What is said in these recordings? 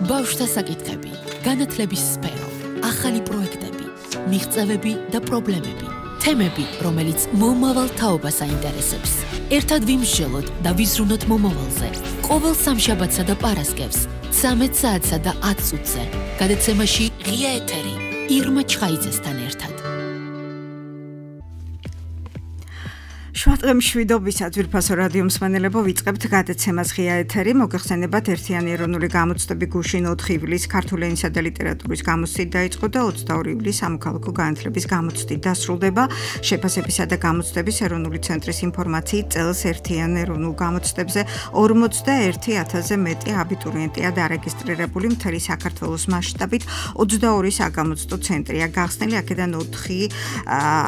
ბავშვთა საკითხები, განათლების სფერო, ახალი პროექტები, მიღწევები და პრობლემები, თემები, რომელიც მომავალ თაობას აინტერესებს. ერთად ვიმსჯელოთ და ვიზრუნოთ მომავალზე. ყოველ სამშაბათსა და პარასკევს, 13 საათსა და 10 წუთზე, გადაცემაში ღია ეთერი, ირმა ჩხაიძესთან ერთად. შვატყე მშვიდობისა ძვირფასო რადიო მსმენელებო, ვიწყებთ გადაცემას ღია ეთერი. მოგეხსენებათ ერთიანი ეროვნული გამოცდები გუშინ 4 ივლისს ქართული ენისა და ლიტერატურის გამოცდით დაიწყო და 22 ივლისს სამოქალაქო განათლების გამოცდით დასრულდება. შეფასებისა და გამოცდების ეროვნული ცენტრის ინფორმაციით წელს ერთიან ეროვნულ გამოცდებზე 41,000-ზე მეტი აბიტურიენტია დარეგისტრირებული მთელი საქართველოს მასშტაბით. 22 საგამოცდო ცენტრია გახსნილი, აქედან 4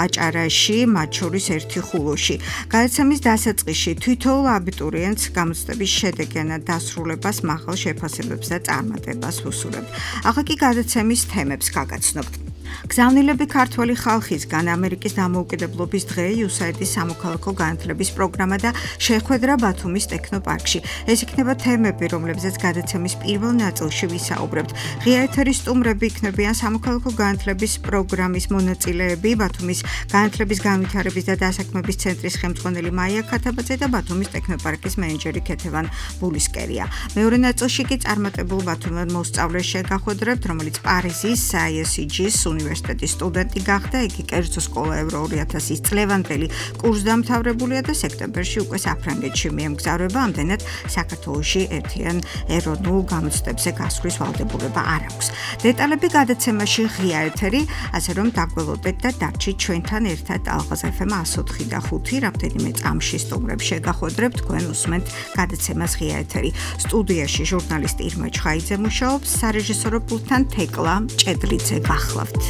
აჭარაში, მათ შორის 1 ხულოში. გადაცემის დასაწყისში თითოეულ აბიტურიენტს გამოცდების შედეგიანად დასრულებას, მაღალ შეფასებებს და წარმატებას ვუსურებთ. ახლა კი გადაცემის თემებს გაგაცნობთ. გზავნილები ქართველი ხალხისგან, ამერიკის დამოუკიდებლობის დღე, USAID-ის სამოქალაქო განათლების პროგრამა და შეხვედრა ბათუმის ტექნოპარკში. ეს იქნება თემები, რომლებზეც გადაცემის პირველ ნაწილში ვისაუბრებთ. ღია ეთერის სტუმრები იქნებიან სამოქალაქო განათლების პროგრამის მონაწილეები, ბათუმის განათლების განვითარების და დასაქმების ცენტრის ხელმძღვანელი მაია ქათაბაძე და ბათუმის ტექნოპარკის მენეჯერი ქეთევან ბულისკერია. მეორე ნაწილში კი წარმატებულ ბათუმიდან მოსწავლეს შეგახვედრებთ, რომელიც პარიზის ISEG-ის უნივერსიტეტის სტუდენტი გახდა. იგი კერძო სკოლა ევრო 2000-ის წლევანდელი კურსდამთავრებულია და სექტემბერში უკვე საფრანგეთში მიემგზავრება. ამდენად საქართველოში ერთიან ეროვნულ გამოცდებზე გასვლის ვალდებულება არ აქვს. დეტალები გადაცემაში ღია ეთერი, ასე რომ დაგველოდეთ და დარჩით ჩვენთან ერთად. ალღაზ FM 104 და 5 რამდენიმე წამში სტუმრებს შეგახვედრებთ, თქვენ უსმენთ გადაცემას ღია ეთერი. სტუდიაში ჟურნალისტი ირმა ჩხაიძე მუშაობს, სარეჟისორო პულტთან თეკლა ჭედლიძე გახლავთ.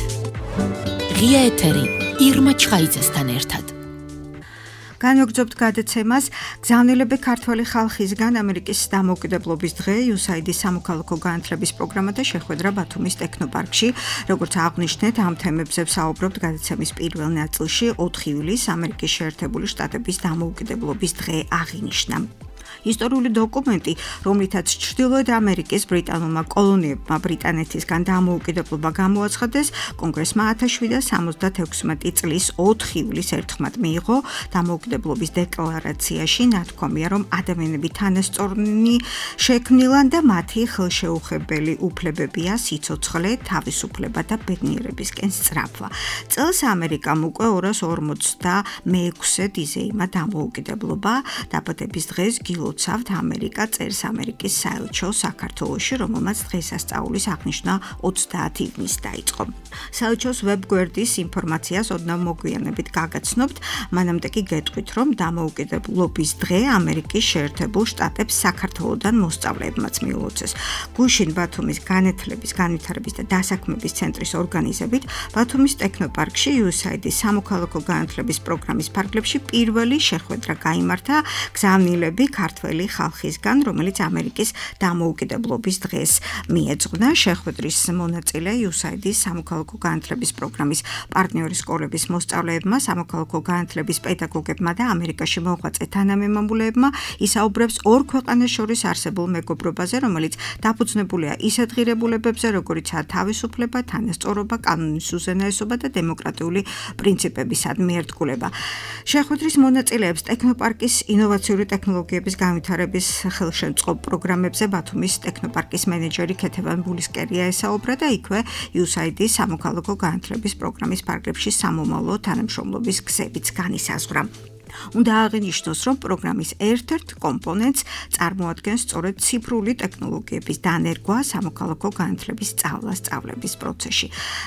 ღია ეთერი, ირმა ჩხაიძესთან ერთად. განვაგრძობთ გადაცემას. გზავნილები ქართველი ხალხისგან, ამერიკის დამოუკიდებლობის დღე, USAID-ის სამოქალაქო განათლების პროგრამა და შეხვედრა ბათუმის ტექნოპარკში. როგორც აღვნიშნეთ, ამ თემებზე ვსაუბრობთ გადაცემის პირველ ნაწილში. 4 ივლისს ამერიკის შეერთებული შტატების დამოუკიდებლობის დღე აღინიშნა. ისტორიული დოკუმენტი, რომლითაც ჩრდილოეთ ამერიკის ბრიტანულმა კოლონიებმა ბრიტანეთისგან დამოუკიდებლობა გამოაცხადეს, კონგრესმა 1776 წლის 4 ივლისს ერთხმად მიიღო. დამოუკიდებლობის დეკლარაციაში ნათქვამია, რომ ადამიანები თანასწორნი შექმნილან და მათი ხელშეუხებელი უფლებებია სიცოცხლე, თავისუფლება და ბედნიერებისკენ სწრაფვა. წელს ამერიკამ უკვე 256 იზეიმა დამოუკიდებლობა. დაბადების დღეს გილოცავთ ამერიკა წერს ამერიკის საელჩო საქართველოში, რომელმაც დღესასწაულის აღნიშვნა 30 ივნისს დაიწყო. საელჩოს ვებგვერდის ინფორმაციას ოდნავ მოგვიანებით გაგაცნობთ, მანამდე კი გეტყვით, რომ დამოუკიდებლობის დღე ამერიკის შეერთებულ შტატებს საქართველოდან მოსწავლეებმაც მიულოცეს. გუშინ ბათუმის განათლების, განვითარების და დასაქმების ცენტრის ორგანიზებით ბათუმის ტექნოპარკში USAID-ის სამოქალაქო განათლების პროგრამის ფარგლებში პირველი შეხვედრა გაიმართა გზავნილები ქართველი ხალხისგან, რომელიც ამერიკის დამოუკიდებლობის დღეს მიეძღვნა. შეხვედრის მონაწილე USAID-ის სამოქალაქო განათლების პროგრამის პარტნიორი სკოლების მოსწავლეებმა, სამოქალაქო განათლების პედაგოგებმა და ამერიკაში მოღვაწე თანამემამულეებმა ისაუბრებს ორ ქვეყანას შორის არსებულ მეგობრობაზე, რომელიც დაფუძნებულია ისეთ ღირებულებებზე, როგორიცაა თავისუფლება, თანასწორობა, კანონის უზენაესობა და დემოკრატიული პრინციპებისადმი ერთგულება. შეხვედრის მონაწილეებს ტექნოპარკის ინოვაციური ტექნოლოგიების განვითარების ხელშემწყობ პროგრამებზე ბათუმის ტექნოპარკის მენეჯერი ქეთევან ბულისკერია ესაუბრა და იქვე USAID-ის სამოქალაქო განათლების პროგრამის ფარგლებში სამომავლო თანამშრომლობის გზებიც განისაზღვრა. უნდა აღინიშნოს, რომ პროგრამის ერთ-ერთ კომპონენტს წარმოადგენს სწორედ ციფრული ტექნოლოგიების დანერგვა სამოქალაქო განათლების სწავლების პროცესში.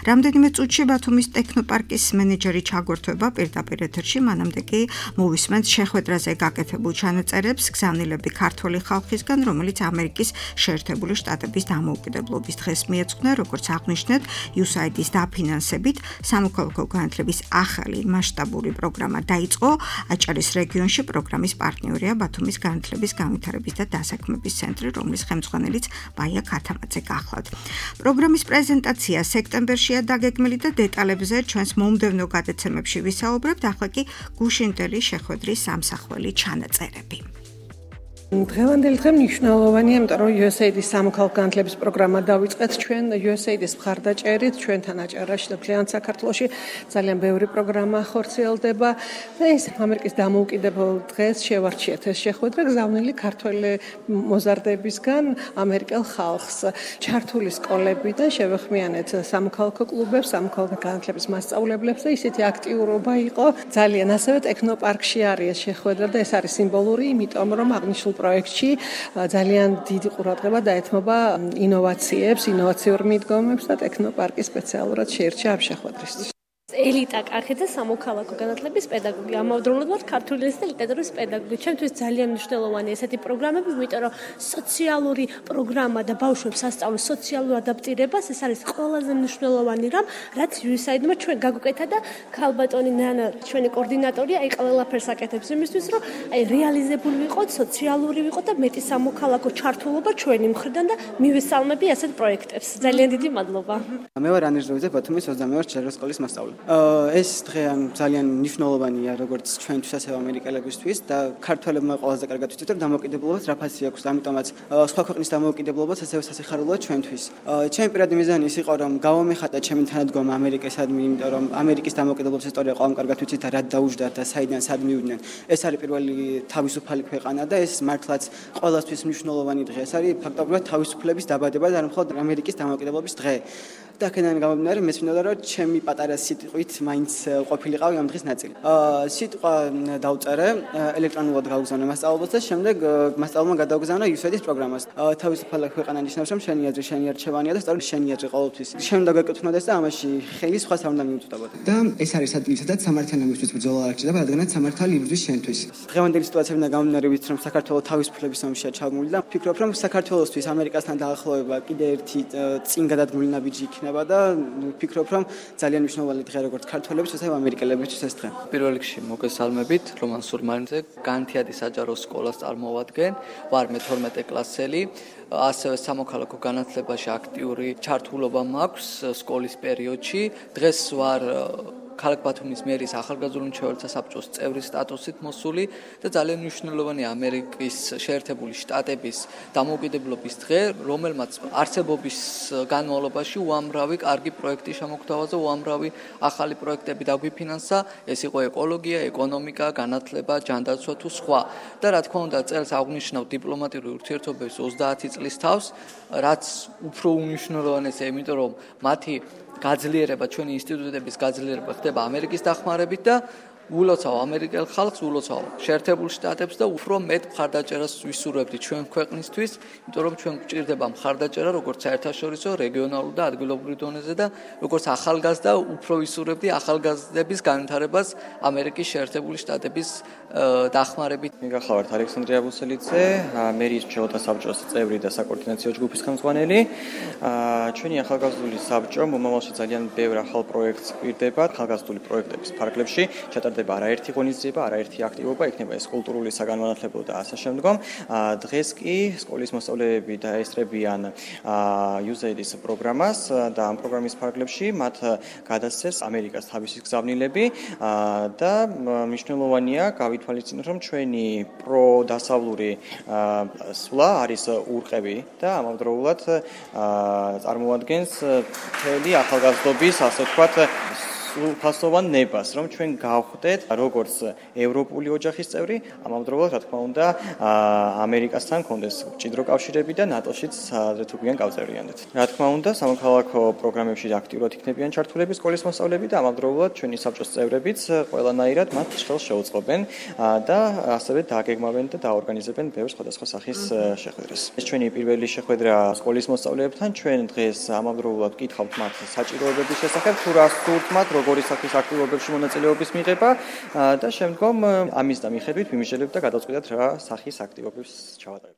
რამდენიმე წუთში ბათუმის ტექნოპარკის მენეჯერი ჩაგვერთვება პირდაპირ ეთერში, მანამდე კი მოვისმენთ შეხვედრაზე გაკეთებულ ჩანაწერებს გზავნილები ქართველი ხალხისგან, რომელიც ამერიკის შეერთებული შტატების დამოუკიდებლობის დღეს მიეძღვნა, როგორც აღვნიშნეთ, USAID-ის დაფინანსებით სამოქალაქო განათლების ახალი მასშტაბური პროგრამა დაიწყო. აჭარის რეგიონში პროგრამის პარტნიორია ბათუმის განათლების, განვითარების და დასაქმების ცენტრი, რომლის ხელმძღვანელიც მაია ქათამაძე გახლავთ. პროგრამის პრეზენტაცია სექტემბერშია დაგეგმილი და დეტალებზე ჩვენს მომდევნო გადაცემებში ვისაუბრებთ. ახლა კი გუშინდელი შეხვედრის სამსახველი ჩანაწერები. დღევანდელი დღე მნიშვნელოვანია, იმიტომ რომ USAID-ის სამოქალაქო განათლების პროგრამა დავიწყეთ ჩვენ USAID-ის მხარდაჭერით, ჩვენთან აჭარაში და მთლიან საქართველოში ძალიან ბევრი პროგრამა ხორციელდება და ეს ამერიკის დამოუკიდებელ დღეს შევარჩიეთ ეს შეხვედრა გზავნილი ქართველი მოზარდებისგან ამერიკელ ხალხს. ჩართული სკოლებიდან შევეხმიანეთ სამოქალაქო კლუბებს, სამოქალაქო განათლების მასწავლებლებს და ისეთი აქტიურობა იყო ძალიან. ასევე ტექნოპარკში არის ეს შეხვედრა და ეს არის სიმბოლური, იმიტომ რომ აღნიშნულ პროექტში ძალიან დიდი ყურადღება დაეთმობა ინოვაციებს, ინოვაციურ მიდგომებს და ტექნოპარკი სპეციალურად შეირჩა ამ შეხვედრისთვის. ელიტა კახი და სამოქალაქო განათლების პედაგოგი. ამავდროულად ვარ ქართული ენის და ლიტერატურის პედაგოგი. ჩემთვის ძალიან მნიშვნელოვანია ესეთი პროგრამები, იმიტომ რომ სოციალური პროგრამა და ბავშვებს ასწავლის სოციალურ ადაპტირებას, ეს არის ყველაზე მნიშვნელოვანი რამ, რაც USAID-მა ჩვენ გაგვიკეთა და ქალბატონი ნანა, ჩვენი კოორდინატორი, აი ყველაფერს აკეთებს იმისთვის, რომ აი რეალიზებული ვიყოთ, სოციალური ვიყოთ და მეტი სამოქალაქო ჩართულობა ჩვენი მხრიდან და მივესალმები ასეთ პროექტებს. ძალიან დიდი მადლობა. მე ვარ ანეჟდოვიძე, ბათუმის 22 ჯეროს სკოლის მასწავლებელი. ეს დღე ძალიან მნიშვნელოვანია როგორც ჩვენთვის ასევე ამერიკელებისთვის და ქართველებმა ყველაზე კარგად ვიცით რომ დამოუკიდებლობას რაფასი აქვს, ამიტომაც სხვა ქვეყნის დამოუკიდებლობას ასევე სასიხარულოა ჩვენთვის. ჩემი პირადი მიზანი ის იყო რომ გავამეხატა ჩემი თანადგომა ამერიკასადმი, იმიტომ რომ ამერიკის დამოუკიდებლობის ისტორია ყველამ კარგად ვიცით და რა დაუჯდათ და საიდან სად მივიდნენ. ეს არის პირველი თავისუფალი ქვეყანა და ეს მართლაც ყველასთვის მნიშვნელოვანი დღე. ეს არის ფაქტობრივად თავისუფლების დაბადება და მხოლოდ ამერიკის დამოუკიდებლობის დღე. და აქედან გამომდინარე მეცნიერდა რომ ჩემი პატარა სიტყვით მაინც ყოფილიყავი ამ დღის ნაწილი. სიტყვა დავწერე, ელექტრონულად გავგზავნე მასწავლებლებს და შემდეგ მასწავლებელმა გადავგზავნა USAID-ის პროგრამას. თავისუფალი ქვეყანა ნიშნავს რომ შენი აზრი შენი არჩევანია და სწორედ შენი აზრი ყოველთვის. შენ უნდა გეკუთვნოდეს და ამაში ხელი სხვა არ უნდა მიუწვდაბოდ. და ეს არის ადგილი სადაც სამართალიანობის ბრძოლა არ ჩდება, რადგანაც სამართალი იბრძვის შენთვის. დღევანდელი სიტუაციებიდან გამომდინარე ვიცით რომ საქართველოს თავისუფლების ომშია ჩაგმული და ვფიქრობ რომ საქართველოსთვის ამერიკასთან დაახლოება კიდე ერთი წინ გადადგმული ნაბიჯი იქნება და ვფიქრობ რომ ძალიან მნიშვნელოვანი დღე როგორც ქართველების, ასევე ამერიკელებისთვის ეს დღე. პირველ რიგში მოგესალმებით, რომან სურმანიძე, განთიადი საჯარო სკოლას წარმოვადგენ, ვარ მე-12 კლასელი, ასევე სამოქალაქო განათლებაში აქტიური ჩართულობა მაქვს სკოლის პერიოდში. დღეს ვარ ქალაქ ბათუმის მერის ახალგაზრდული მრჩეველთა საბჭოს წევრის სტატუსით მოსული და ძალიან მნიშვნელოვანია ამერიკის შეერთებული შტატების დამოუკიდებლობის დღე, რომელმაც არსებობის განმავლობაში უამრავი კარგი პროექტი შემოგთავაზა, უამრავი ახალი პროექტები დაგვიფინანსა, ეს იყო ეკოლოგია, ეკონომიკა, განათლება, ჯანდაცვა თუ სხვა. და რა თქმა უნდა, წელს აღნიშნავ დიპლომატიური ურთიერთობების 30 წლის თავს, რაც უფრო უნიშნელოვანესია, იმიტომ რომ მათი გაძლიერება, ჩვენი ინსტიტუტების გაძლიერება ხდება ამერიკის დახმარებით და ულოცავ ამერიკელ ხალხს, ულოცავ შეერთებულ შტატებს და უფრო მეტ მხარდაჭერას ვისურვებდი ჩვენ ქვეყნისთვის, იმიტომ რომ ჩვენ გვჭირდება მხარდაჭერა როგორც საერთაშორისო, რეგიონალურ და ადგილობრივ დონეზე და როგორც ახალგაზრდა უფრო ვისურვებდი ახალგაზრდების განვითარებას ამერიკის შეერთებული შტატების დახმარებით. მიგახლავართ ალექსანდრე აბუსელიძე, მერის მრჩეველთა საბჭოს წევრი და საკოორდინაციო ჯგუფის ხელმძღვანელი. ჩვენი ახალგაზრდული საბჭო მომავალში ძალიან ბევრ ახალ პროექტს გვირდება, ახალგაზრდული პროექტების ფარგლებში ჩატარდება არაერთი ღონისძიება, არაერთი აქტივობა, იქნება ეს კულტურული, საგანმანათლებლო და ასე შემდგომ. დღეს კი სკოლის მოსწავლეები დაესწრებიან USAID-ის პროგრამას და ამ პროგრამის ფარგლებში მათ გადასცეს ამერიკას თავისი გზავნილები და მნიშვნელოვანია ვითვალისწინოთ, რომ ჩვენი პროდასავლური სვლა არის ურყევი და ამავდროულად წარმოადგენს მთელი ახალგაზრდობის, ასე ვთქვათ, ფასოვან ნებას, რომ ჩვენ გავხდეთ როგორც ევროპული ოჯახის წევრი, ამავდროულად, რა თქმა უნდა, ამერიკასთან კონდეს მჭიდრო კავშირები და ნატოშიც თუ გვიან გავწევრიანდეთ. რა თქმა უნდა, სამოქალაქო პროგრამებში აქტიურად იქნებიან ჩართულები სკოლის მოსწავლეები და ამავდროულად ჩვენი საბჭოს წევრებიც ყველანაირად მათ ხელს შეუწყობენ და ასევე დააგეგმავენ და დაორგანიზებენ ბევრ სხვადასხვა სახის შეხვედრას. ეს ჩვენი პირველი შეხვედრა სკოლის მოსწავლეებთან, ჩვენ დღეს ამავდროულად ვკითხავთ მათ საჭიროებების შესახებ, თუ რა სურთ მათ როგორი სახის აქტივობებში მონაწილეობის მიღება და შემდგომ ამის და მიხედვით ვიმიჟელებთ და გადავწყვიტეთ რა სახის აქტივობებს ჩავატარებთ.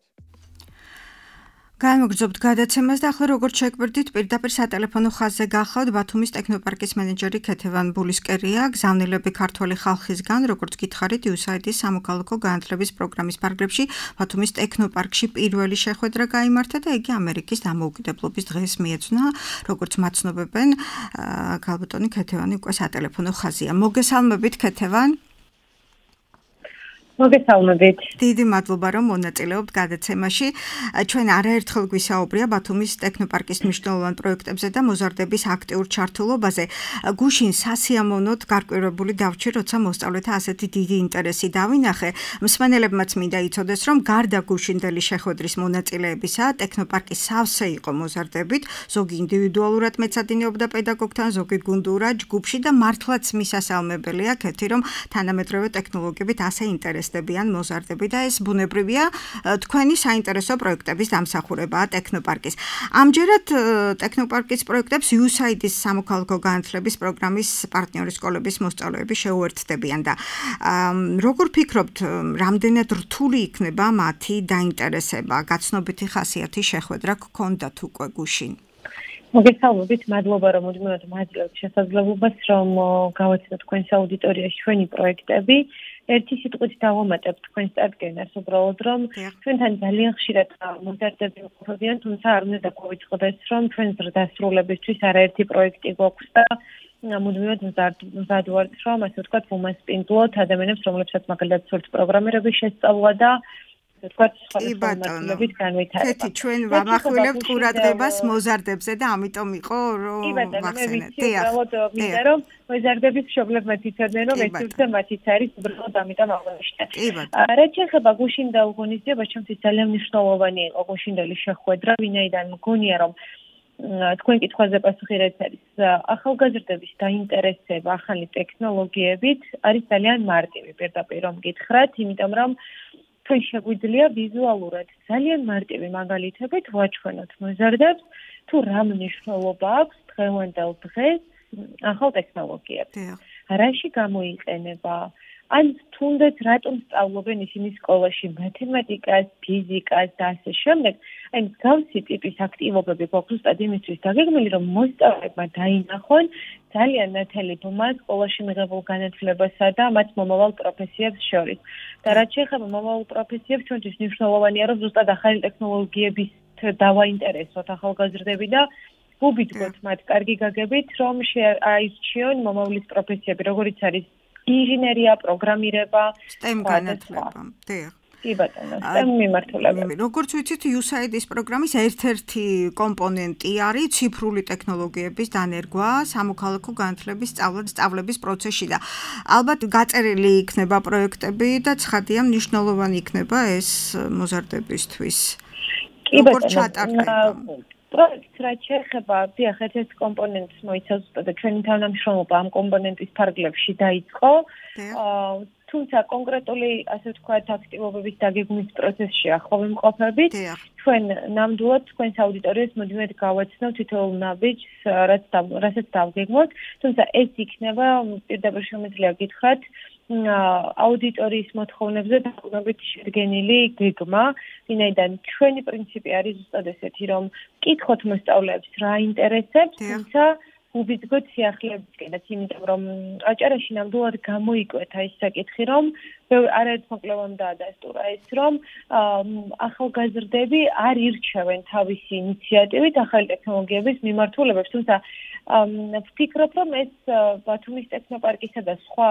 განმოგრძობთ გადაცემას და ახლა როგორც შეგვერდით პირდაპირ სატელეფონო ხაზზე გახლავთ ბათუმის ტექნოპარკის მენეჯერი ქეთევან ბულისკერია, გზავნილები ქართველი ხალხისგან, როგორც გითხარით USAID-ის სამოქალაქო განათლების პროგრამის ფარგლებში ბათუმის ტექნოპარკში პირველი შეხვედრა გაიმართა და იგი ამერიკის დამოუკიდებლობის დღეს მიეძღვნა, როგორც მაცნობებენ ქალბატონი ქეთევანი უკვე სატელეფონო ხაზია. მოგესალმებით ქეთევან. მოგესალმებით. დიდი მადლობა, რომ მონაწილეობთ გადაცემაში. ჩვენ არაერთხელ გვისაუბრია ბათუმის ტექნოპარკის მნიშვნელოვან პროექტებზე და მოზარდების აქტიურ ჩართულობაზე. გუშინ სასიამოვნოდ გარკვევებული დავჭი, როცა მოსწავლეთა ასეთი დიდი ინტერესი დავინახე. მსმენელებმაც მინდა იცოდეს, რომ გარდა გუშინდელი შეხვედრის მონაწილეებისა, ტექნოპარკი სავსე იყო მოზარდებით, ზოგი ინდივიდუალურად მეცადინეობდა პედაგოგთან, ზოგი გუნდურად ჯგუფში და მართლაც მისასალმებელია ქეთი, რომ თანამედროვე ტექნოლოგიებით ასე ინტერესდებიან მოზარდები და ეს ბუნებრივია თქვენი საინტერესო პროექტების დამსახურებაა ტექნოპარკის. ამჯერად ტექნოპარკის პროექტებს USAID-ის სამოქალაქო განათლების პროგრამის პარტნიორი სკოლების მოსწავლეები შეუერთდებიან და როგორ ფიქრობთ, რამდენად რთული იქნება მათი დაინტერესება? გაცნობითი ხასიათის შეხვედრა გქონდათ უკვე გუშინ? მოგესალმებით, მადლობა რომ მუდმივად მაძლევთ შესაძლებლობას, რომ გავაცნოთ თქვენს აუდიტორიაში ჩვენი პროექტები. ერთი სიტყვით დავამატებ თქვენს წარდგენას, უბრალოდ რომ ჩვენთან ძალიან ხშირად მოზარდები მყოფებიან, თუმცა არ უნდა დაგვიწყდეს, რომ ჩვენს დასრულებისთვის არაერთი პროექტი გვაქვს და მუდმივად მზად ვართ, რომ ასე ვთქვათ, ვუმასპინძლოთ ადამიანებს, რომლებსაც მაგალითად სურთ პროგრამირების შესწავლა და კეთი ჩვენ ვამახვილებთ ყურადღებას მოზარდებზე და ამიტომ იყო რომ ვახსენეთ. მინდა რომ მოზარდების მშობლებმაც იცოდნენ რომ ეს უბრალოდ მათიც არის უბრალოდ ამიტომ აღვნიშნე. რაც შეეხება გუშინ დაუღონისძიებას, ჩემთვის ძალიან მნიშვნელოვანი იყო გუშინდელი შეხვედრა, ვინაიდან მგონია რომ თქვენ კითხვაზე პასუხი რაც არის ახალგაზრდების დაინტერესება ახალი ტექნოლოგიებით არის ძალიან მარტივი პირდაპირ რომ გითხრათ, იმიტომ რომ თქვენ შეგვიძლია ვიზუალურად ძალიან მარტივი მაგალითებით ვაჩვენოთ მოზარდებს თუ რა მნიშვნელობა აქვს დღევანდელ დღეს ახალ ტექნოლოგიებს. რაში გამოიყენება? ან თუნდაც რატომ სწავლობენ ისინი სკოლაში მათემატიკას, ფიზიკას და ასე შემდეგ. აი მსგავსი ტიპის აქტივობები გვაქვს ზუსტად იმისთვის დაგეგმილი, რომ მოსწავლეებმა დაინახონ ძალიან ნათელი ბმა სკოლაში მიღებულ განათლებასა და მათ მომავალ პროფესიებს შორის. და რაც შეეხება მომავალ პროფესიებს, ჩვენთვის მნიშვნელოვანია, რომ ზუსტად ახალი ტექნოლოგიების დავაინტერესოთ ახალგაზრდები და ვუბიძგოთ მათ კარგი გაგებით, რომ აირჩიონ მომავლის პროფესიები, როგორიც არის ინჟინერია, პროგრამირება, STEM განათლება. კი ბატონო, STEM მიმართულებით. როგორც ვიცით, USAID-ის პროგრამის ერთ-ერთი კომპონენტი არის ციფრული ტექნოლოგიების დანერგვა სამოქალაქო განათლების სწავლების პროცესში და ალბათ გაწერილი იქნება პროექტები და ცხადია მნიშვნელოვანი იქნება ეს მოზარდებისთვის. კი ბატონო. პროექტს რაც შეეხება, დიახ, ერთ-ერთ კომპონენტს მოიცავს და ჩვენი თანამშრომლობა ამ კომპონენტის ფარგლებში დაიწყო. თუმცა კონკრეტული, ასე ვთქვათ, აქტივობების დაგეგმვის პროცესში ახლა ვიმყოფებით. ჩვენ ნამდვილად თქვენს აუდიტორიას მუდმივად გავაცნოთ თითოეულ ნაბიჯს, რასაც დავგეგმოთ. თუმცა ეს იქნება პირდაპირ შემიძლია გითხრათ აუდიტორიის მოთხოვნებზე დაყრდნობით შედგენილი გეგმა, ვინაიდან ჩვენი პრინციპი არის ზუსტად ესეთი, რომ ვკითხოთ მოსწავლეებს რა ინტერესებს, თუმცა ვუბიძგოთ სიახლეებისკენაც, იმიტომ რომ აჭარაში ნამდვილად გამოიკვეთა ის საკითხი, რომ არაერთ მოკლევამ დაადასტურა ეს, რომ ახალგაზრდები არ ირჩევენ თავისი ინიციატივით ახალი ტექნოლოგიების მიმართულებებს, თუმცა ვფიქრობ, რომ ეს ბათუმის ტექნოპარკისა და სხვა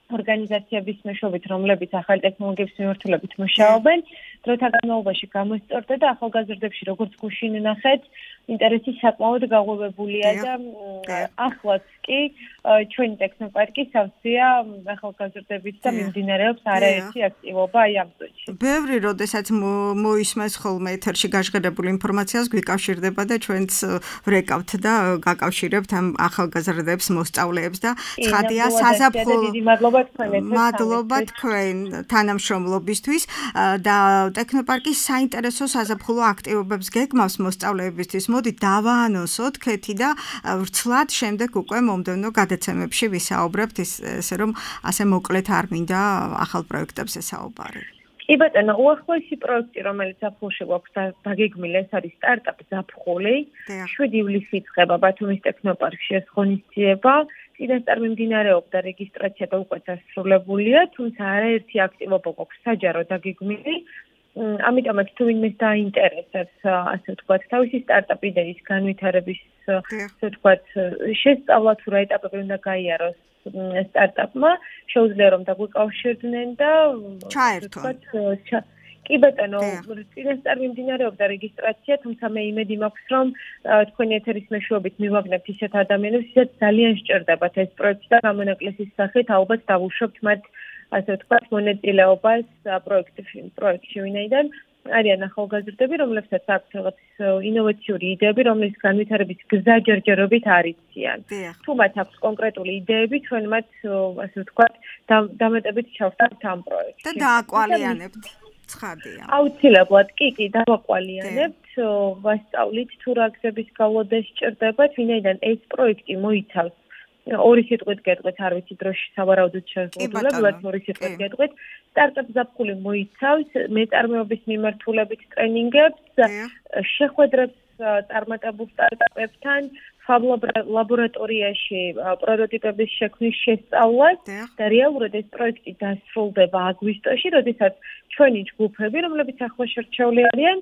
ორგანიზაციების მეშვეობით, რომლებიც ახალი ტექნოლოგიების მიმართულებით მუშაობენ, დროთა განმავლობაში გამოსწორდა და ახალგაზრდებში, როგორც გუშინ ნახეთ, ინტერესი საკმაოდ გაღვივებულია და ახლაც კი ჩვენი ტექნოპარკი სავსეა ახალგაზრდებით და მიმდინარეობს არაერთი აქტივობა აი ამ წუთში. ბევრი როდესაც მოისმენს ხოლმე ეთერში გაჟღერებული ინფორმაციას გვიკავშირდება და ჩვენც ვრეკავთ და გაკავშირებთ ამ ახალგაზრდებს, მოსწავლეებს და ცხადია საზაფხულო მადლობა თქვენ თანამშრომლობისთვის და ტექნოპარკის საინტერესო საზაფხულო აქტივობებს გეგმავს მოსწავლეებისთვის. მოდი დავაანონსოთ ქეთი და ვრცლად შემდეგ უკვე მომდევნო გადაცემებში ვისაუბრებთ ესე რომ ასე მოკლედ არ მინდა ახალ პროექტებზე საუბარი. კი ბატონო, უახლოესი პროექტი, რომელიც ზაფხულში გვაქვს დაგეგმილი, ეს არის სტარტაპ ზაფხული. 7 ივლისს იწყება ბათუმის ტექნოპარკში ეს ღონისძიება. წინასწარ მიმდინარეობდა რეგისტრაცია და უკვე დასრულებულია, თუმცა არაერთი აქტივობა გვაქვს საჯარო დაგეგმილი. ამიტომაც თუ ვინმეს დაინტერესებს, ასე ვთქვათ, თავისი სტარტაპ იდეის განვითარების, ასე ვთქვათ, შესწავლა თუ რა ეტაპები უნდა გაიაროს სტარტაპმა, შეუძლია რომ დაგვიკავშირდნენ და ჩაერთონ. კი ბატონო, წინასწარ მიმდინარეობდა რეგისტრაცია, თუმცა მე იმედი მაქვს, რომ თქვენი ეთერის მეშვეობით მივაგნებთ ისეთ ადამიანებს, ვისაც ძალიან სჭირდებათ ეს პროექტი და გამონაკლისის სახით ალბათ დავუშვებთ მათ, ასე ვთქვათ, მონაწილეობას პროექტში, ვინაიდან არიან ახალგაზრდები, რომლებსაც აქვთ რაღაც ინოვაციური იდეები, რომლის განვითარების გზა ჯერჯერობით არ იციან. თუ მათ აქვს კონკრეტული იდეები, ჩვენ მათ, ასე ვთქვათ, დამატებით ჩავხსნათ ამ პროექტში. და დააკვალიანებთ. ცხადია. აუცილებლად, კი, დავაკვალიანებთ, ვასწავლით თუ რა გზების გავლოდა სჭირდებათ, ვინაიდან ეს პროექტი მოიცავს ორი სიტყვით გეტყვით, არ ვიცი დროში სავარაუდოდ შევღებულებ, ორი სიტყვით გეტყვით, სტარტაპ ზაფხული მოიცავს მეწარმეობის მიმართულებით ტრენინგებს, შეხვედრებს წარმატებულ სტარტაპებთან, ფაბ ლაბორატორიაში პროტოტიპების შექმნის შესწავლას და რეალურად ეს პროექტი დასრულდება აგვისტოში, როდესაც ჩვენი ჯგუფები, რომლებიც ახლა შერჩეული არიან,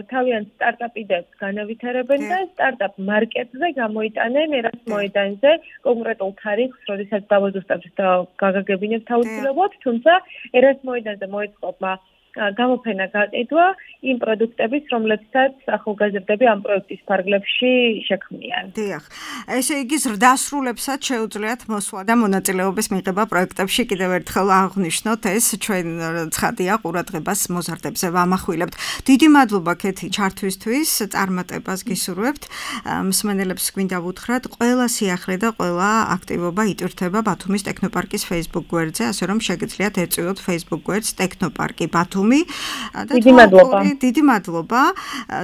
თავიანთ სტარტაპ იდეებს განავითარებენ და სტარტაპ მარკეტზე გამოიტანენ ერას მოედანზე კონკრეტულ თარიღს, როდესაც დავაზუსტებთ და გაგაგებინებთ აუცილებლად, თუმცა ერას მოედანზე მოეწყობა გამოფენა გაყიდვა იმ პროდუქტების, რომლებსაც ახალგაზრდები ამ პროექტის ფარგლებში შექმნიან. დიახ. ესე იგი ზრდასრულებსაც შეუძლიათ მოსვლა და მონაწილეობის მიღება პროექტებში. კიდევ ერთხელ აღვნიშნოთ, ეს ჩვენ ცხადია ყურადღებას მოზარდებზე ვამახვილებთ. დიდი მადლობა კეთი ჩართვისთვის, წარმატებას გისურვებთ. მსმენელებს გვინდა ვუთხრათ, ყველა სიახლე და ყველა აქტივობა იტვირთება ბათუმის ტექნოპარკის Facebook გვერდზე, ასე რომ შეგიძლიათ ერწივოთ Facebook გვერდს ტექნოპარკი ბათუმი. დიდი მადლობა.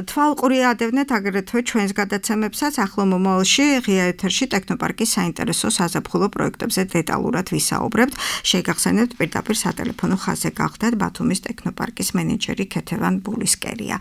თვალყური ადევნეთ აგრეთვე ჩვენს გადაცემებსაც ახლო მომავალში ღია ეთერში ტექნოპარკის საინტერესო საზაფხულო პროექტებზე დეტალურად ვისაუბრებთ. შეგახსენებთ პირდაპირ სატელეფონო ხაზზე გახდათ ბათუმის ტექნოპარკის მენეჯერი ქეთევან ბულისკერია.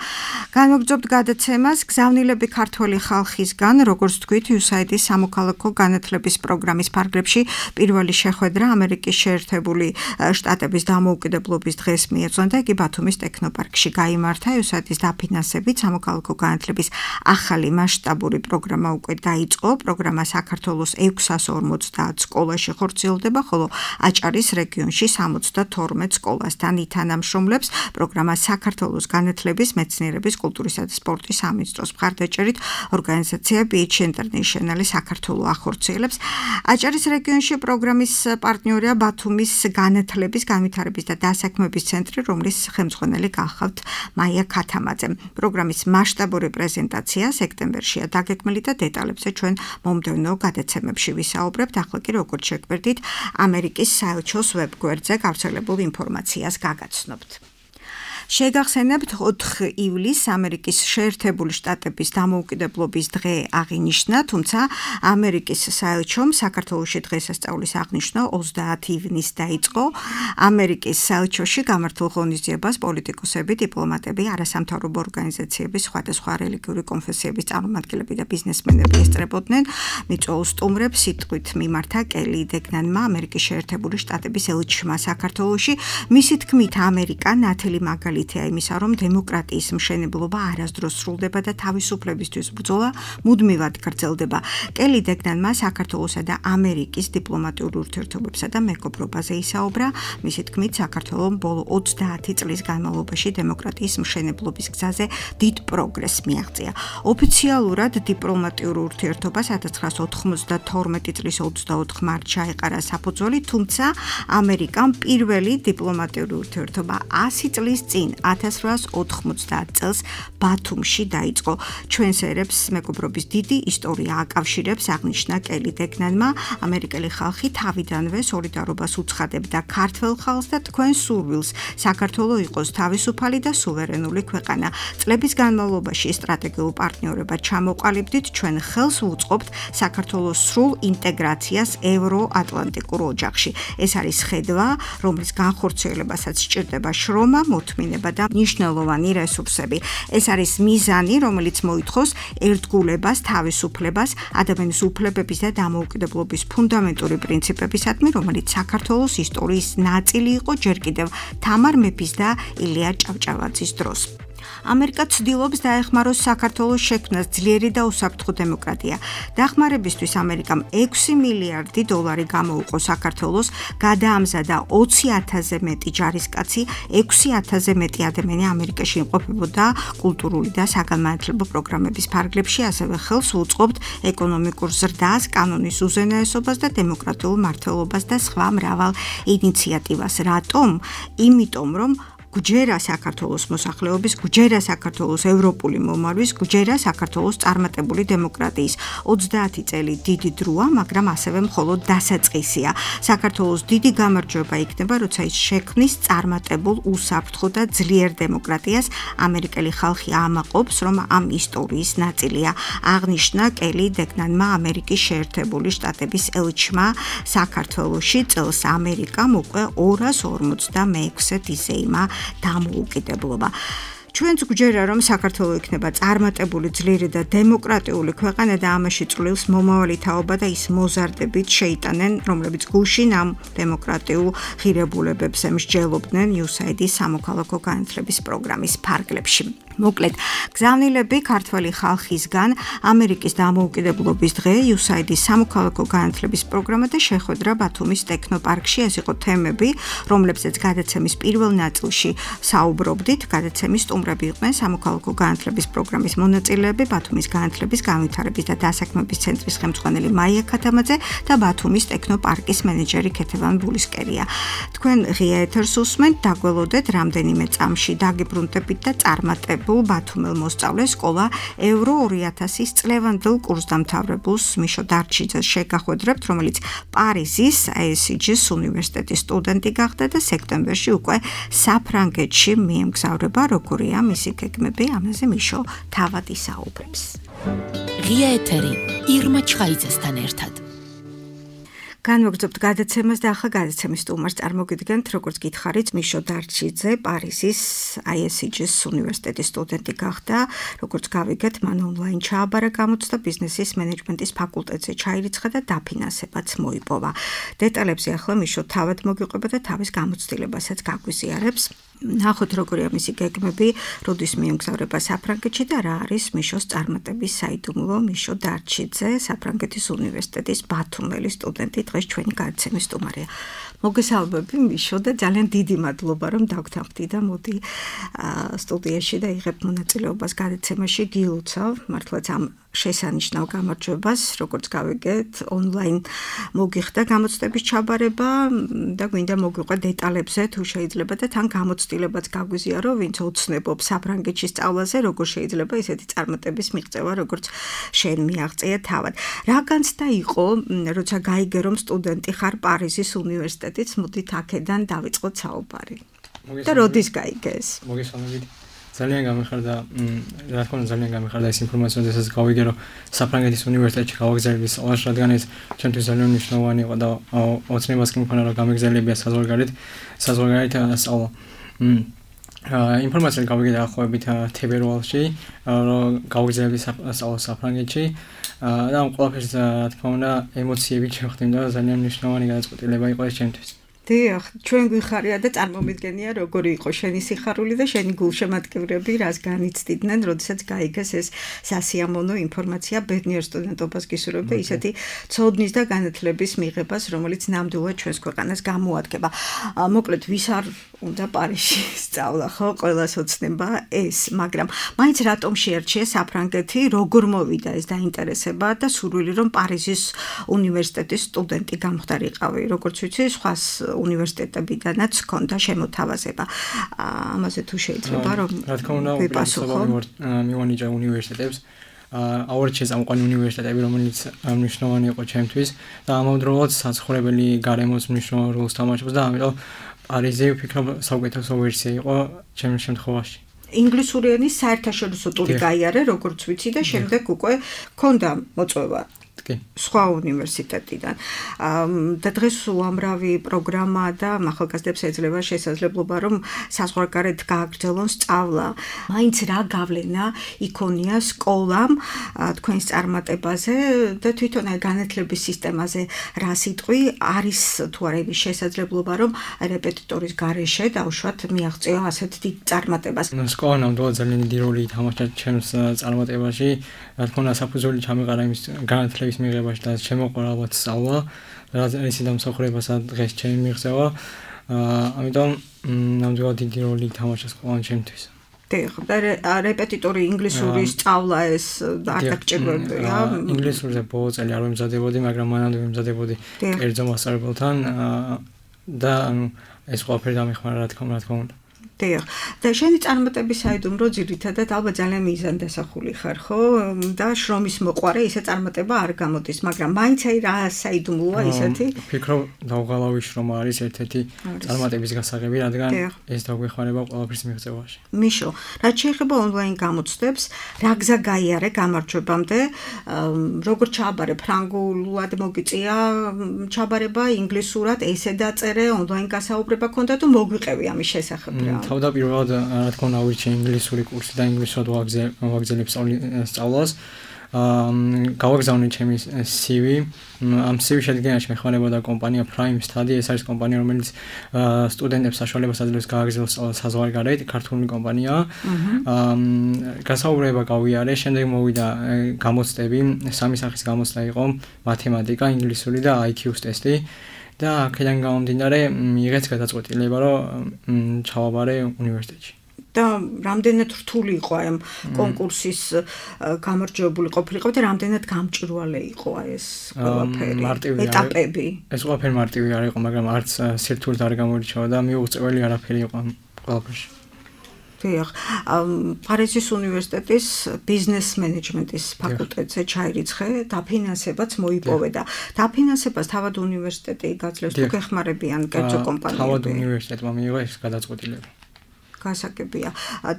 განვაგრძობთ გადაცემას გზავნილები ქართველი ხალხისგან, როგორც თქვით, USAID-ის სამოქალაქო განათლების პროგრამის ფარგლებში პირველი შეხვედრა ამერიკის შეერთებული შტატების დამოუკიდებლობის დღეს მიეძღვნა და იგი ბათუმის ტექნოპარკში გაიმართა. USAID-ის დაფინანსებით სამოქალაქო განათლების ახალი მასშტაბური პროგრამა უკვე დაიწყო. პროგრამა საქართველოს 650 სკოლაში ხორციელდება, ხოლო აჭარის რეგიონში 72 სკოლასთან ითანამშრომლებს. პროგრამა საქართველოს განათლების, მეცნიერების, კულტურისა და სპორტის სამინისტროს მხარდაჭერით ორგანიზაცია Beach International საქართველოს ახორციელებს. აჭარის რეგიონში პროგრამის პარტნიორია ბათუმის განათლების, განვითარების და დასაქმების ცენტრი, რომლის ხელმძღვანელი გახავთ მაია ქათამაძე. პროგრამის მასშტაბური პრეზენტაცია სექტემბერშია დაგეგმილი და დეტალებზე ჩვენ მომდევნო გადაცემებში ვისაუბრებთ. ახლა კი როგორც შეგვერდით, ამერიკის საელჩოს ვებგვერდზე გავრცელებულ ინფორმაციას გაგაცნობთ. შეგახსენებთ 4 ივლისს ამერიკის შეერთებული შტატების დამოუკიდებლობის დღე აღინიშნა, თუმცა ამერიკის საელჩომ საქართველოში დღესასწაულის აღნიშვნა 30 ივნისს დაიწყო. ამერიკის საელჩოში გამართულ ღონისძიებას პოლიტიკოსები, დიპლომატები, არასამთავრობო ორგანიზაციების, სხვადასხვა რელიგიური კონფესიების წარმომადგენლები და ბიზნესმენები ესწრებოდნენ. მიწვეულ სტუმრებს სიტყვით მიმართა კელი დეგნანმა, ამერიკის შეერთებული შტატების ელჩმა საქართველოში. მისი თქმით, ამერიკა ნათელი მაგალითია იმისა, რომ დემოკრატიის მშენებლობა არასდროს სრულდება და თავისუფლებისთვის ბრძოლა მუდმივად გრძელდება. კელი დეგნანმა საქართველოსა და ამერიკის დიპლომატიურ ურთიერთობებსა და მეგობრობაზე ისაუბრა. მისი თქმით, საქართველომ ბოლო 30 წლის განმავლობაში დემოკრატიის მშენებლობის გზაზე დიდ პროგრესს მიაღწია. ოფიციალურად დიპლომატიურ ურთიერთობას 1992 წლის 24 მარტში ჩაეყარა საფუძველი, თუმცა ამერიკამ პირველი დიპლომატიური ურთიერთობა 100 წლის წინ 1890 წელს ბათუმში დაიწყო. ჩვენს ერებს მეგობრობის დიდი ისტორია აკავშირებს, აღნიშნა კელი დეგნანმა. ამერიკელი ხალხი თავიდანვე სოლიდარობას უცხადებდა ქართველ ხალხს და თქვენ სურვილს საქართველო იყოს თავისუფალი და სუვერენული ქვეყანა. წლების განმავლობაში სტრატეგიულ პარტნიორებად ჩამოყალიბდით, ჩვენ ხელს ვუწყობთ საქართველოს სრულ ინტეგრაციას ევროატლანტიკურ ოჯახში. ეს არის ხედვა, რომლის განხორციელებასაც სჭირდება შრომა, მოთმინება მოედინება და მნიშვნელოვანი რესურსები. ეს არის მიზანი, რომელიც მოითხოვს ერთგულებას, თავისუფლებას, ადამიანის უფლებების და დამოუკიდებლობის ფუნდამენტური პრინციპებისადმი, რომელიც საქართველოს ისტორიის ნაწილი იყო ჯერ კიდევ თამარ მეფის და ილია ჭავჭავაძის დროს. ამერიკა ცდილობს დაეხმაროს საქართველოს შექმნას ძლიერი და უსაფრთხო დემოკრატია. დახმარებისთვის ამერიკამ 6 მილიარდი დოლარი გამოუყო საქართველოს, გადაამზადა 20,000-ზე მეტი ჯარისკაცი, 6,000-ზე მეტი ადამიანი ამერიკაში იმყოფებოდა კულტურული და საგანმანათლებლო პროგრამების ფარგლებში, ასევე ხელს უწყობთ ეკონომიკურ ზრდას, კანონის უზენაესობას და დემოკრატიულ მართლობას და სხვა მრავალ ინიციატივას. რატომ? იმიტომ, რომ გვჯერა საქართველოს მოსახლეობის, გვჯერა საქართველოს ევროპული მომართვის, გვჯერა საქართველოს წარმატებული დემოკრატიის. 30 წელი დიდი დროა, მაგრამ ასევე მხოლოდ დასაწყისია. საქართველოს დიდი გამარჯვება იქნება, როცა ის შექმნის წარმატებულ, უსაფრთხო და ძლიერ დემოკრატიას. ამერიკელი ხალხი ამაყობს, რომ ამ ისტორიის ნაწილია. აღნიშნა კელი დეკნანმა ამერიკის შეერთებული შტატების ელჩმა საქართველოში. წელს ამერიკამ უკვე 256 იზეიმა დამოუკიდებლობა. ჩვენც გვჯერა, რომ საქართველო იქნება წარმატებული, ძლიერი და დემოკრატიული ქვეყანა და ამაში წვლილს მომავალი თაობა და ის მოზარდებით შეიტანენ, რომლებიც გუშინ ამ დემოკრატიულ ღირებულებებს მსჯელობდნენ USAID-ის სამოქალაქო განათლების პროგრამის ფარგლებში. მოკლედ, გზავნილები ქართველი ხალხისგან ამერიკის დამოუკიდებლობის დღე, USAID-ის სამოქალაქო განათლების პროგრამა და შეხვედრა ბათუმის ტექნოპარკში. ეს იყო თემები, რომლებზეც გადაცემის პირველ ნაწილში საუბრობდით. გადაცემის სტუმრები იყვნენ სამოქალაქო განათლების პროგრამის მონაწილეები, ბათუმის განათლების, განვითარების და დასაქმების ცენტრის ხელმძღვანელი მაია ქათამაძე და ბათუმის ტექნოპარკის მენეჯერი ქეთევან ბულისკერია. თქვენ ღია ეთერს უსმენთ, დაგველოდეთ რამდენიმე წამში დაგიბრუნდებით და წარმატებულ ბათუმელ მოსწავლეს სკოლა ევრო 2000-ის წლევანდელ კურსდამთავრებულს მიშო დარჩიძეს შეგახვედრებთ, რომელიც პარიზის ASCG-ის უნივერსიტეტის სტუდენტი გახდა და სექტემბერში უკვე საფრანგეთში მიემგზავრება. როგორია მისი გეგმები, ამაზე მიშო თავად ისაუბრებს. ღია ეთერი ირმა ჩხაიძესთან ერთად. განვაგრძობთ გადაცემას და ახლა გადაცემის სტუმარს წარმოგიდგენთ, როგორც გითხარით, მიშო დარჩიძე პარიზის ASCG-ის უნივერსიტეტის სტუდენტი გახდა. როგორც გავიგეთ, მან ონლაინ ჩააბარა გამოცდა, ბიზნესის მენეჯმენტის ფაკულტეტზე ჩაირიცხა და დაფინანსებაც მოიპოვა. დეტალებზე ახლა მიშო თავად მოგიყვება და თავის გამოცდილებასაც გაგვიზიარებს. ნახოთ, როგორია მისი გეგმები, როდის მიემგზავრება საფრანგეთში და რა არის მიშოს წარმატების საიდუმლო. მიშო დარჩიძე, საფრანგეთის უნივერსიტეტის ბათუმელი სტუდენტი, დღეს ჩვენი გადაცემის სტუმარია. მოგესალმები მიშო და ძალიან დიდი მადლობა, რომ დაგთანხმდი და მოდი სტუდიაში და იღებ მონაწილეობას გადაცემაში. გილოცავ მართლაც ამ შესანიშნავ გამარჯვებას, როგორც გავიგეთ, ონლაინ მოგიხდა გამოცდების ჩაბარება და გვინდა მოგვიყვე დეტალებზე, თუ შეიძლება და თან გამოცდილებაც გაგვიზიარო, ვინც ოცნებობს საფრანგეთში სწავლაზე, როგორ შეიძლება ესეთი წარმატების მიღწევა, როგორც შენ მიაღწია თავად. რა განცდა იყო, როცა გაიგე, რომ სტუდენტი ხარ პარიზის უნივერსიტეტից, მოდით აქედან დავიწყოთ საუბარი. და როდის გაიგე ეს? მოგესალმებით. ძალიან გამიხარდა, რა თქმა უნდა, ძალიან გამიხარდა ეს ინფორმაცია, როდესაც გავიგე, რომ საფრანგეთის უნივერსიტეტში გავაგზავნეს სწავლაში, რადგან ეს ჩემთვის ძალიან მნიშვნელოვანი იყო და ოცნებას კი მქონდა, რომ გამეგზავნებია საზღვარგარეთ სწავლა. ინფორმაცია გავიგე დაახლოებით თებერვალში, რომ გავაგზავნებდი სწავლა საფრანგეთში და ამ ყველაფერს, რა თქმა უნდა, ემოციები შეხვდით და ძალიან მნიშვნელოვანი გადაწყვეტილება იყო ეს ჩემთვის. დიახ, ჩვენ გვიხარია და წარმომიდგენია როგორი იყო შენი სიხარული და შენი გულშემატკივრები, რას განიცდიდნენ, როდესაც გაიგეს ეს სასიამოვნო ინფორმაცია ბედნიერ სტუდენტობას გისურვებ და ისეთი ცოდნის და განათლების მიღებას, რომელიც ნამდვილად ჩვენს ქვეყანას გამოადგება. მოკლედ, ვის არ უნდა პარიზში სწავლა, ხო, ყველას ოცნება ეს, მაგრამ მაინც რატომ შეერჩია საფრანგეთი, როგორ მოვიდა ეს დაინტერესება და სურვილი, რომ პარიზის უნივერსიტეტის სტუდენტი გამხდარიყავი, როგორც ვიცი, სხვას უნივერსიტეტებიდანაც ჰქონდა შემოთავაზება. ამაზე თუ შეიძლება რომ რა თქმა უნდა, მივანიჭა უნივერსიტეტებს. აურჩეს ამყვანი უნივერსიტეტები, რომელიც მნიშვნელოვანი იყო ჩემთვის და ამავდროულად საცხოვრებელი გარემოს მნიშვნელოვან როლს თამაშობს და ამიტომ პარიზი ვფიქრობ საუკეთესო ვერსია იყო ჩემს შემთხვევაში. ინგლისური ენის საერთაშორისო ტური გაიარე, როგორც ვიცი და შემდეგ უკვე ჰქონდა მოწვევა სხვა უნივერსიტეტიდან. და დღეს უამრავი პროგრამა და ახალგაზრდებს ეძლევა შესაძლებლობა რომ საზღვარგარეთ გააგრძელონ სწავლა. მაინც რა გავლენა იქონია სკოლამ თქვენს წარმატებაზე და თვითონ აი განათლების სისტემაზე რა სიტყვი არის თუ არა იმის შესაძლებლობა რომ რეპეტიტორის გარეშე დავუშვათ მიაღწია ასეთ დიდ წარმატებას. სკოლა ნამდვილად ძალიან დიდი როლი ითამაშა ჩემს წარმატებაში. რა თქმა უნდა საფუძველი ჩამეყარა იმის განათლების მიღებაში და შემოყვარა ალბათ სწავლა, რაც ისე დამსახურებასაც დღეს ჩემი მიღწევა. ამიტომ ნამდვილად დიდი როლი ითამაშა სკოლა ჩემთვის. და რეპეტიტორი ინგლისური სწავლა ეს არ დაგჭირებია. ინგლისურზე ბოლო წელი არ ვემზადებოდი, მაგრამ მანამდე ვემზადებოდი კერძო მასწავლებელთან და ეს ყველაფერი დამეხმარა რა თქმა უნდა. და შენი წარმატების საიდუმლო ძირითადად ალბათ ძალიან მიზანდასახული ხარ, ხო? და შრომის მოყვარე ისე წარმატება არ გამოდის, მაგრამ მაინც აი რა საიდუმლოა ისეთი? ვფიქრობ დავღალავი შრომა არის ერთ-ერთი წარმატების გასაღები, რადგან ეს დაგვეხმარება ყველაფრის მიღწევაში. მიშო, რაც შეეხება ონლაინ გამოცდებს, რა გზა გაიარე გამარჯვებამდე, როგორ ჩააბარე ფრანგულად მოგიწია ჩაბარება, ინგლისურად ესე დაწერე, ონლაინ გასაუბრება ქონდა თუ მოგვიყევი ამის შესახებ რა? თავდაპირველად რა თქმა უნდა ავირჩიე ინგლისური კურსი და ინგლისურად ვაგრძელებ სწავლას. გავაგზავნე ჩემი CV. ამ CV შედგენაში მეხმარებოდა კომპანია Prime Study. ეს არის კომპანია, რომელიც სტუდენტებს საშუალებას აძლევს გააგრძელოს სწავლა საზღვარგარეთ, ქართული კომპანიაა. გასაუბრება გავიარე, შემდეგ მოვიდა გამოცდები, სამი სახის გამოცდა იყო: მათემატიკა, ინგლისური და IQ-ს ტესტი. და აქედან გამომდინარე მიიღეთ გადაწყვეტილება რომ ჩავაბარე უნივერსიტეტში. და რამდენად რთული იყო აი ამ კონკურსის გამარჯვებული ყოფილიყო და რამდენად გამჭვირვალე იყო ეს ყველაფერი ეტაპები. ეს ყველაფერი მარტივი არ იყო, მაგრამ არც სირთულე არ გამოირჩევა და მიუღწეველი არაფერი იყო ამ ყველაფერში. პარიზის უნივერსიტეტის ბიზნეს მენეჯმენტის ფაკულტეტზე ჩაირიცხე, დაფინანსებაც მოიპოვე და დაფინანსებას თავად უნივერსიტეტი გაძლევს თუ გეხმარებიან კერძო კომპანიები? თავად უნივერსიტეტმა მიიღო ეს გადაწყვეტილება. გასაგებია.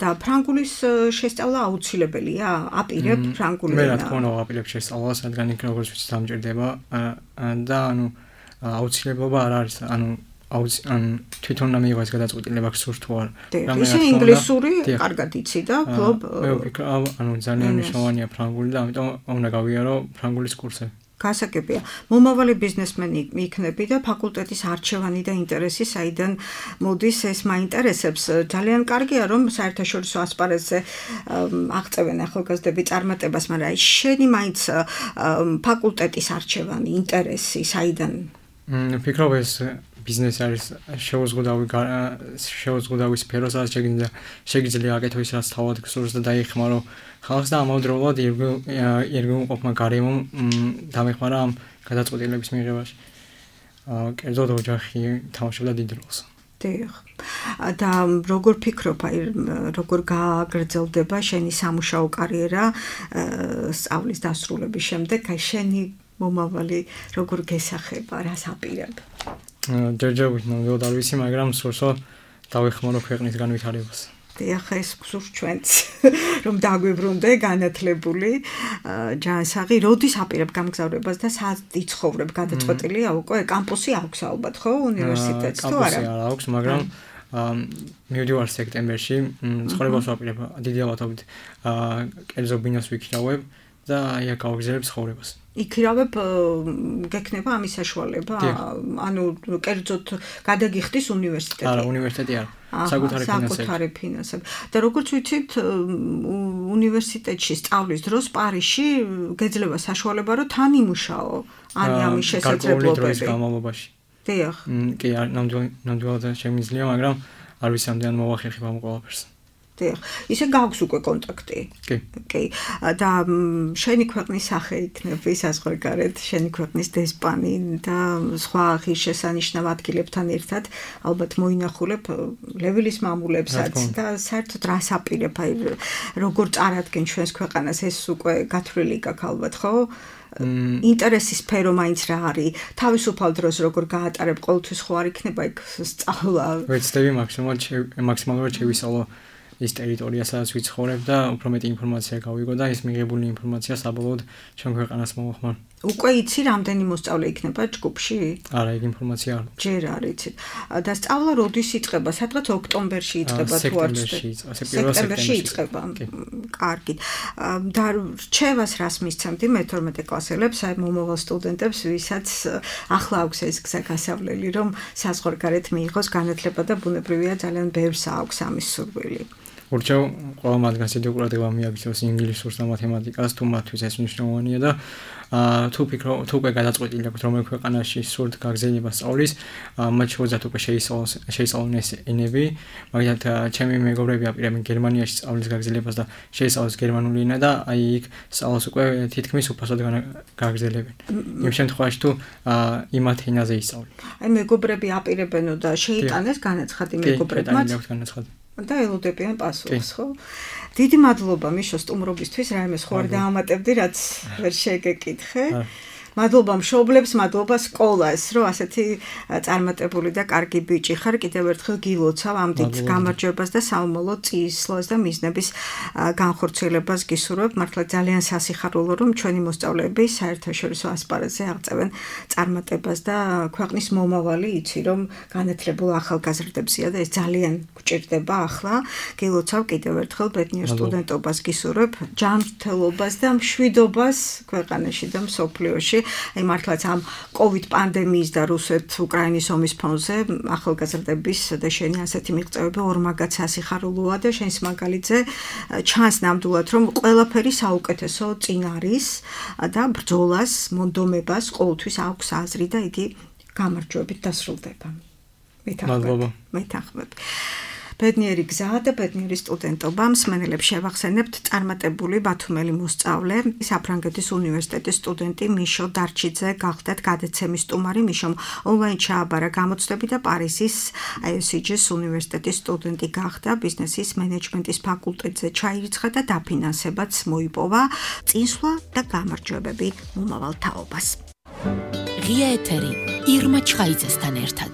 და ფრანგულის შესწავლა აუცილებელია? აპირებ ფრანგული ენა? მე რა თქმა უნდა ვაპირებ შესწავლას, რადგან იქ როგორც ვიცი დამჭირდება და აუცილებლობა არ არის, თვითონ მიიღო ეს გადაწყვეტილება გსურთ თუ არა. ისე ინგლისური კარგად იცი და ფლობ. მე ვფიქრობ, ძალიან მნიშვნელოვანია ფრანგული და ამიტომ უნდა გავიარო ფრანგულის კურსები. გასაგებია. მომავალი ბიზნესმენი იქნები და ფაკულტეტის არჩევანი და ინტერესი საიდან მოდის ეს მაინტერესებს. ძალიან კარგია რომ საერთაშორისო ასპარეზზე აღწევენ ახალგაზრდები წარმატებას, მაგრამ შენი მაინც ფაკულტეტის არჩევანი, ინტერესი საიდან? ვფიქრობ ეს ბიზნესი არის შეუზღუდავი სფერო, სადაც შეგიძლია აკეთო ის, რაც თავად გსურს და დაიხმარო ხალხს და ამავდროულად ირგვლივმყოფმა გარემომ დამეხმარა ამ გადაწყვეტილების მიღებაში. კერძოდ ოჯახი თამაშობდა დიდ როლს. და როგორ ფიქრობ, აი როგორ გააგრძელდება შენი სამუშაო კარიერა სწავლის დასრულების შემდეგ, აი შენი მომავალი როგორ გესახება, რას აპირებ? ჯერჯერობით ნამდვილად არ ვიცი, მაგრამ სურსო დავეხმარო ქვეყნის განვითარებას. ახლა ეს გსურს ჩვენც რომ დაგვიბრუნდე განათლებული ჯანსაღი, როდის აპირებ გამგზავრებას და სად იცხოვრებ? გადაწყვეტილია უკვე? კამპუსი აქვს ალბათ, ხო, უნივერსიტეტს თუ არა? კამპუსი არ აქვს, მაგრამ მივდივარ სექტემბერში, ცხოვრებას ვაპირებ დიდი ალბათობით კერძო ბინას ვიქირავებ და იქ გავაგრძელებ ცხოვრებას. იქირავებ გექნება ამის საშუალება? ანუ კერძოდ გადაგიხდის უნივერსიტეტი? არა, უნივერსიტეტი არა. საკუთარი ფინანსები. და როგორც ვიცით, უნივერსიტეტში სწავლის დროს Პარიზში გეძლევა საშუალება რომ თან იმუშაო, ან ამის შესაძლებლობები. გარკვეული დროის განმავლობაში. კი, ნამდვილად შემიძლია, მაგრამ არ ვიცი ამდენ მოვახერხებ ამ ყველაფერს. ისე გაქვს უკვე კონტაქტი. კი. და შენი ქვეყნის სახე იქნება საზღვარგარეთ, შენი ქვეყნის დესპანი და სხვა ღირსშესანიშნავ ადგილებთან ერთად ალბათ მოინახულებ ლევილის მამულებსაც და საერთოდ რას აპირებ, აი როგორ წარადგენ ჩვენს ქვეყანას, ეს უკვე გათვლილი გაქვს ალბათ, ხო? ინტერესის სფერო მაინც რა არის? თავისუფალ დროს როგორ გაატარებ, ყოველთვის ხო არ იქნება იქ სწავლა? ვეცდები მაქსიმალურად შევისწავლო ის ტერიტორია, სადაც ვიცხოვრებ და უფრო მეტი ინფორმაცია გავიგო და ეს მიღებული ინფორმაცია საბოლოოდ ჩვენ ქვეყანას მოვახმარ. უკვე იცი რამდენი მოსწავლე იქნება ჯგუფში? არა, ეგ ინფორმაცია არ. ჯერ არ იცით. და სწავლა როდის იწყება? სადღაც ოქტომბერში იწყება თუ არ სექტემბერში იწყება. კარგი. და რჩევას რას მისცემდი მე-12 კლასელებს, აი მომავალ სტუდენტებს, ვისაც ახლა აქვს ეს გზა გასავლელი, რომ საზღვარგარეთ მიიღოს განათლება და ბუნებრივია ძალიან ბევრს აქვს ამის სურვილი. ურჩევ ყველა მათგანს დიდი ყურადღება მიაქცევს ინგლისურს და მათემატიკას, თუ მათთვის ეს მნიშვნელოვანია და თუ უკვე გადაწყვეტილი აქვთ რომელ ქვეყანაში სურთ გაგრძელება სწავლის, მათ შორის უკვე შეისწავლონ ეს ენები, მაგალითად ჩემი მეგობრები აპირებენ გერმანიაში სწავლის გაგრძელებას და შეისწავლოს გერმანული ენა და აი იქ სწავლას უკვე თითქმის უფასოდ გაგრძელებენ. იმ შემთხვევაში თუ იმათ ენაზე ისწავლენ. აი მეგობრები აპირებენო და შეიტანეს განაცხადი მეგობრებმაც. და ელოდებიან პასუხს, ხო? დიდი მადლობა მიშო სტუმრობისთვის, რაიმე სხვა არ დაამატებდი, რაც ვერ შეგეკითხე. მადლობა მშობლებს, მადლობა სკოლას, რომ ასეთი წარმატებული და კარგი ბიჭი ხარ. კიდევ ერთხელ გილოცავ ამ დიდ გამარჯვებას და საომალო წისვლას და მიზნების განხორციელებას გისურვებ. მართლა ძალიან სასიხარულო, რომ ჩვენი მოსწავლეები საერთაშორისო ასპარეზზე აღწევენ წარმატებას და ქვეყნის მომავალი იცი, რომ განათლებულ ახალგაზრდებია და ეს ძალიან გვჭირდება ახლა. გილოცავ კიდევ ერთხელ ბედნიერ სტუდენტობას გისურვებ, ჯანმრთელობას და მშვიდობას ქვეყანაში და მსოფლიოში. აი მართლაც ამ COVID პანდემიის და რუსეთ-უკრაინის ომის ფონზე ახალგაზრდების და შენი ასეთი მიღწევები ორმაგად სასიხარულოა და შენს მაგალითზე ჩანს ნამდვილად რომ ყველაფერი საუკეთესო წინ არის და ბრძოლას, მონდომებას ყოველთვის აქვს აზრი და იგი გამარჯვებით დასრულდება. მეთანხმებ. ბედნიერი გზა და ბედნიერი სტუდენტობა. მსმენელებს შევახსენებთ წარმატებული ბათუმელი მოსწავლე, საფრანგეთის უნივერსიტეტის სტუდენტი მიშო დარჩიძე გახდათ გადაცემის სტუმარი. მიშომ ონლაინ ჩააბარა გამოცდები და პარიზის ISG-ის უნივერსიტეტის სტუდენტი გახდა. ბიზნესის მენეჯმენტის ფაკულტეტზე ჩაირიცხა და დაფინანსებაც მოიპოვა. წინსვლა და გამარჯვებები მომავალ თაობას. ღია ეთერი ირმა ჩხაიძესთან ერთად.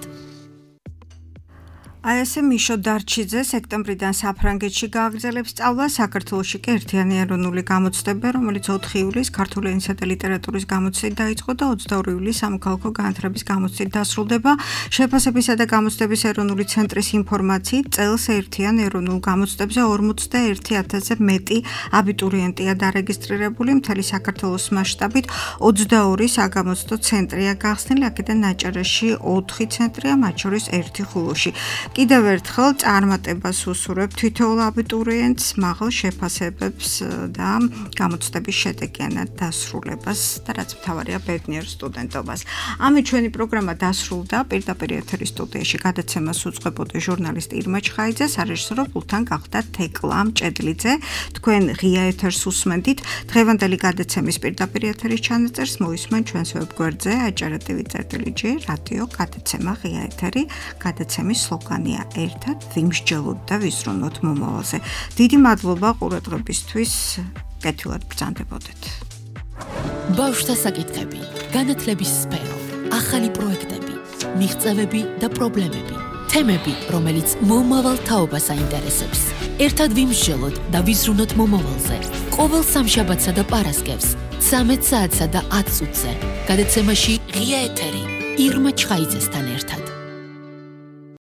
აი ესე მიშო დარჩიძე სექტემბრიდან საფრანგეთში გააგრძელებს სწავლას. საქართველოში კი ერთიანი ეროვნული გამოცდება, რომელიც 4 ივლისს ქართული ენისა და ლიტერატურის გამოცდით დაიწყო და 22 ივლისს სამოქალაქო განათლების გამოცდით დასრულდება. შეფასებისა და გამოცდების ეროვნული ცენტრის ინფორმაციით წელს ერთიან ეროვნულ გამოცდებზე 41,000-ზე მეტი აბიტურიენტია დარეგისტრირებული. მთელი საქართველოს მასშტაბით 22 საგამოცდო ცენტრია გახსნილი, აქედან ნაჭერაში 4 ცენტრია, მათ შორის 1 ხულოში. კიდევ ერთხელ წარმატებას უსურვებ თითოეულ აბიტურიენტს, მაღალ შეფასებებს და გამოცდების შედეგიანად დასრულებას და რაც მთავარია ბედნიერ სტუდენტობას. ამით ჩვენი პროგრამა დასრულდა. პირდაპირ ეთერის სტუდიაში გადაცემას უწყებოდა ჟურნალისტი ირმა ჩხაიძე, სარეჟისორო პულტთან გახდა თეკლა მჭედლიძე. თქვენ ღია ეთერს უსმენთ. დღევანდელი გადაცემის პირდაპირ ეთერის ჩანაწერს მოისმენ ჩვენს ვებგვერდზე ajar.tv/g რადიო გადაცემა ღია ეთერი. გადაცემის სლოგანი ერთად ვიმსჯელოთ და ვიზრუნოთ მომავალზე. დიდი მადლობა ყურადღებისთვის. კეთილად ბრძანდებოდეთ. ბავშვთა საკითხები, განათლების სფერო, ახალი პროექტები, მიღწევები და პრობლემები, თემები, რომელიც მომავალ თაობას აინტერესებს. ერთად ვიმსჯელოთ და ვიზრუნოთ მომავალზე. ყოველ სამშაბათსა და პარასკევს 13 საათსა და 10 წუთზე. გადაცემაში ღია ეთერი ირმა ჩხაიძესთან ერთად.